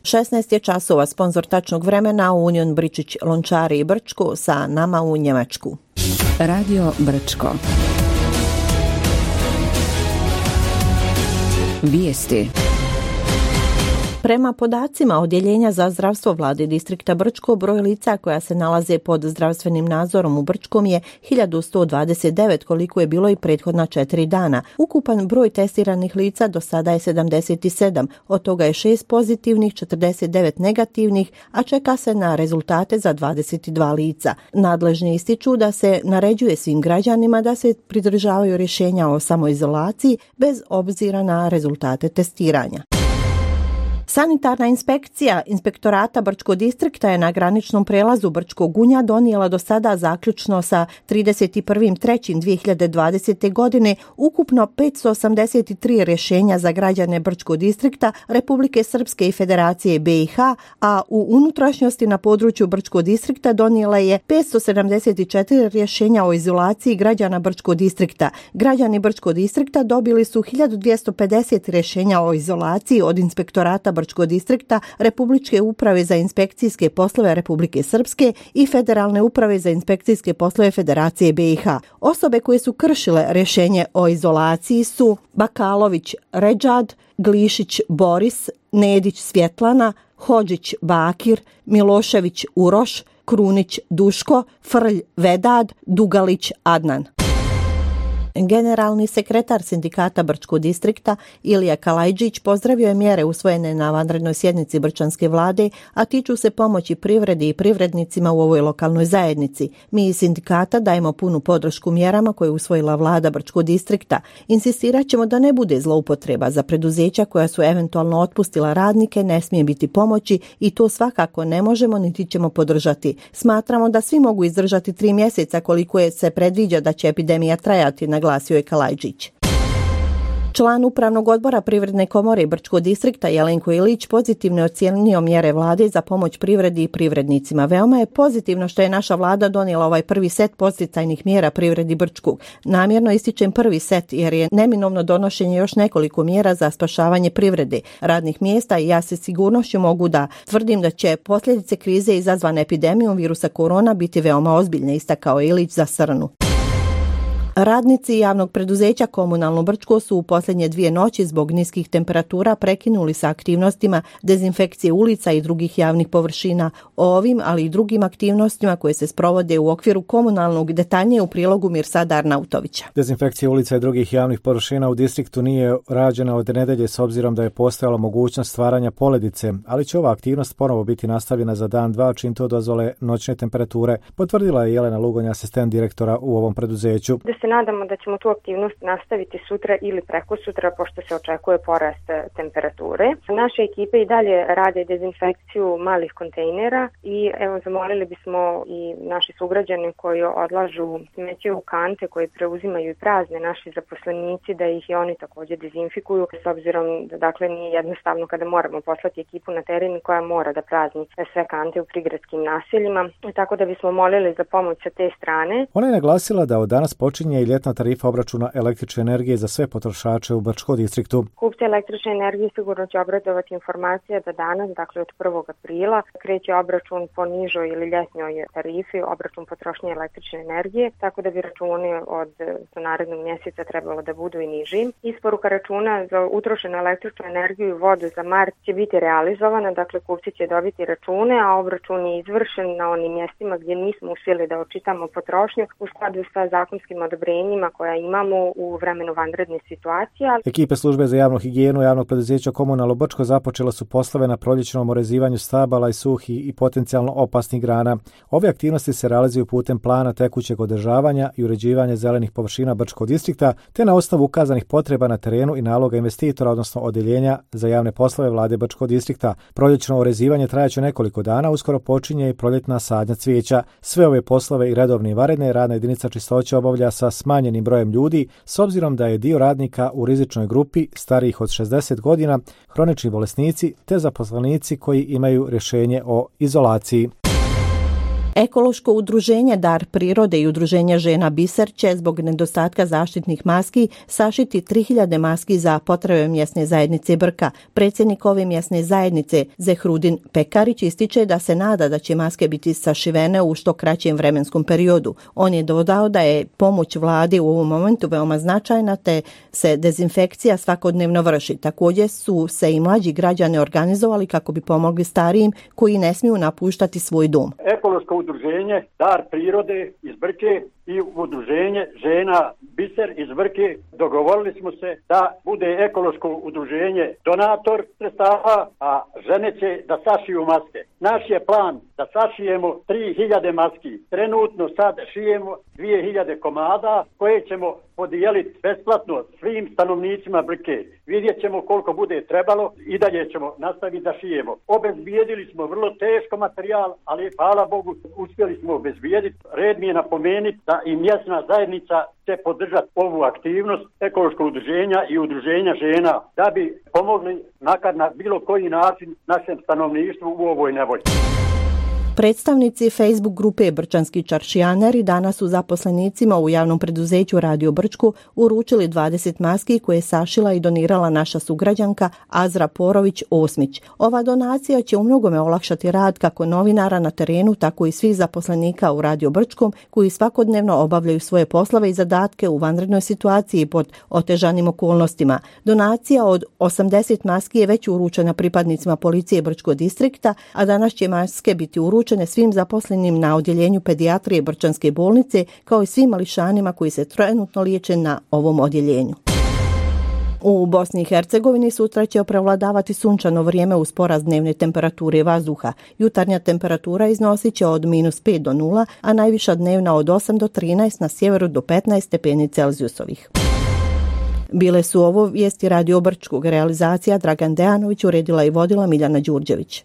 16 je časova, sponzor tačnog vremena Union Bričić Lončari i Brčko, sa nama u Njemačku. Radio Brčko. Vijesti. Prema podacima Odjeljenja za zdravstvo vlade distrikta Brčko, broj lica koja se nalaze pod zdravstvenim nadzorom u Brčkom je 1129, koliko je bilo i prethodna 4 dana. Ukupan broj testiranih lica do sada je 77, od toga je 6 pozitivnih, 49 negativnih, a čeka se na rezultate za 22 lica. Nadležni ističu da se naređuje svim građanima da se pridržavaju rješenja o samoizolaciji bez obzira na rezultate testiranja. Sanitarna inspekcija Inspektorata Brčkog distrikta je na graničnom prelazu Brčkog Gunja donijela do sada zaključno sa 31.3.2020. godine ukupno 583 rješenja za građane Brčkog distrikta, Republike Srpske i Federacije BiH, a u unutrašnjosti na području Brčkog distrikta donijela je 574 rješenja o izolaciji građana Brčkog distrikta. Građani Brčkog distrikta dobili su 1250 rješenja o izolaciji od Inspektorata Brčkog distrikta, Republičke uprave za inspekcijske poslove Republike Srpske i Federalne uprave za inspekcijske poslove Federacije BiH. Osobe koje su kršile rješenje o izolaciji su Bakalović Redžad, Glišić Boris, Nedić Svjetlana, Hodžić Bakir, Milošević Uroš, Krunić Duško, Frlj Vedad, Dugalić Adnan. Generalni sekretar sindikata Brčkog distrikta Ilija Kalajđić pozdravio je mjere usvojene na vanrednoj sjednici Brčanske vlade, a tiču se pomoći privredi i privrednicima u ovoj lokalnoj zajednici. Mi iz sindikata dajemo punu podršku mjerama koje je usvojila vlada Brčkog distrikta. Insistirat ćemo da ne bude zloupotreba za preduzeća koja su eventualno otpustila radnike, ne smije biti pomoći i to svakako ne možemo niti ćemo podržati. Smatramo da svi mogu izdržati 3 mjeseca koliko je se predviđa da će epidemija trajati, naglasio je Kalajđić. Član Upravnog odbora Privredne komore Brčkog distrikta Jelenko Ilić pozitivno je ocijenio mjere vlade za pomoć privredi i privrednicima. Veoma je pozitivno što je naša vlada donijela ovaj prvi set podsticajnih mjera privredi Brčkog. Namjerno ističem prvi set jer je neminovno donošenje još nekoliko mjera za spašavanje privrede, radnih mjesta i ja se sigurnošću mogu da tvrdim da će posljedice krize izazvane epidemijom virusa korona biti veoma ozbiljne, istakao Ilić za Srnu. Radnici javnog preduzeća Komunalno Brčko su u posljednje 2 noći zbog niskih temperatura prekinuli sa aktivnostima dezinfekcije ulica i drugih javnih površina. O ovim, ali i drugim aktivnostima koje se sprovode u okviru komunalnog, detaljnije u prilogu Mirsada Arnautovića. Dezinfekcija ulica i drugih javnih površina u distriktu nije rađena od nedelje s obzirom da je postojala mogućnost stvaranja poledice, ali će ova aktivnost ponovo biti nastavljena za dan 2 čim to dozvole noćne temperature, potvrdila je Jelena Lugonja, asistent direktora u ovom preduzeću. Nadamo da ćemo tu aktivnost nastaviti sutra ili prekosutra, pošto se očekuje porast temperature. Naše ekipe i dalje rade dezinfekciju malih kontejnera i evo zamolili bismo i naši sugrađani koji odlažu smeće u kante koje preuzimaju i prazne naši zaposlenici da ih i oni također dezinfikuju, s obzirom da dakle nije jednostavno kada moramo poslati ekipu na teren koja mora da prazni sve kante u prigradskim naseljima, tako da bismo molili za pomoć sa te strane. Ona je naglasila da od danas počinje i ljetna tarifa obračuna električne energije za sve potrošače u Brčkom distriktu. Kupci električne energije sigurno će obradovati informacija da danas, dakle od 1. aprila, kreće obračun po nižoj ili ljetnjoj tarifi, obračun potrošnje električne energije, tako da bi računi od narednog mjeseca trebalo da budu i niži. Isporuka računa za utrošenu električnu energiju i vodu za mart će biti realizovana, dakle kupci će dobiti račune, a obračun je izvršen na onim mjestima gdje nismo uspjeli da očitamo potrošnju u skladu sa zakonskim odobrenjima koja imamo u vremenu vanredne situacije. Ekipe službe za javnu higijenu javnog preduzeća Komunalno Brčko započela su poslove na proljećnom orezivanju stabala i suhih i potencijalno opasnih grana. Ove aktivnosti se realizuju putem plana tekućeg održavanja i uređivanja zelenih površina Brčkog distrikta, te na osnovu ukazanih potreba na terenu i naloga investitora, odnosno odjeljenja za javne poslove vlade Brčkog distrikta. Proljećno orezivanje trajaće nekoliko dana, uskoro počinje i proljetna sadnja cvijeća. Sve ove poslove i redovne i vanredne radna jedinica čistoće obavlja sa smanjenim brojem ljudi, s obzirom da je dio radnika u rizičnoj grupi starijih od 60 godina, hronični bolesnici te zaposlenici koji imaju rješenje o izolaciji. Ekološko udruženje Dar prirode i udruženje žena Biser će zbog nedostatka zaštitnih maski sašiti 3000 maski za potrebe mjesne zajednice Brka. Predsjednik ove mjesne zajednice Zehrudin Pekarić ističe da se nada da će maske biti sašivene u što kraćem vremenskom periodu. On je dodao da je pomoć vladi u ovom momentu veoma značajna te se dezinfekcija svakodnevno vrši. Također su se i mlađi građani organizovali kako bi pomogli starijim koji ne smiju napuštati svoj dom. Ekološko udruženje Dar prirode iz Brke i udruženje žena Biser iz Brke dogovorili smo se da bude ekološko udruženje donator sredstava, a žene će da sašiju maske. Naš je plan da sašijemo 3000 maski. Trenutno sad šijemo 2000 komada koje ćemo podijeliti besplatno svim stanovnicima Brke. Vidjet ćemo koliko bude trebalo i dalje ćemo nastaviti da šijemo. Obezbijedili smo vrlo teško materijal, ali hvala Bogu uspjeli smo obezbijediti. Red mi je napomenuti da i mjesna zajednica će podržati ovu aktivnost ekološkog udruženja i udruženja žena da bi pomogli makar na bilo koji način našem stanovništvu u ovoj nevolji. Predstavnici Facebook grupe Brčanski čaršijaneri danas su zaposlenicima u javnom preduzeću Radio Brčku uručili 20 maski koje je sašila i donirala naša sugrađanka Azra Porović-Osmić. Ova donacija će u mnogome olakšati rad kako novinara na terenu, tako i svih zaposlenika u Radio Brčkom koji svakodnevno obavljaju svoje poslove i zadatke u vanrednoj situaciji pod otežanim okolnostima. Donacija od 80 maski je već uručena pripadnicima policije Brčkog distrikta, a danas će maske biti uručene svim zaposlenim na odjeljenju pedijatrije Brčanske bolnice, kao i svim mališanima koji se trenutno liječe na ovom odjeljenju. U Bosni i Hercegovini sutra će prevladavati sunčano vrijeme uz porast dnevne temperature vazduha. Jutarnja temperatura iznosit će od -5 do 0, a najviša dnevna od 8 do 13, na sjeveru do 15 stepeni Celzijusovih. Bile su ovo vijesti Radio Brčkog. Realizacija Dragan Dejanović, uredila i vodila Miljana Đurđević.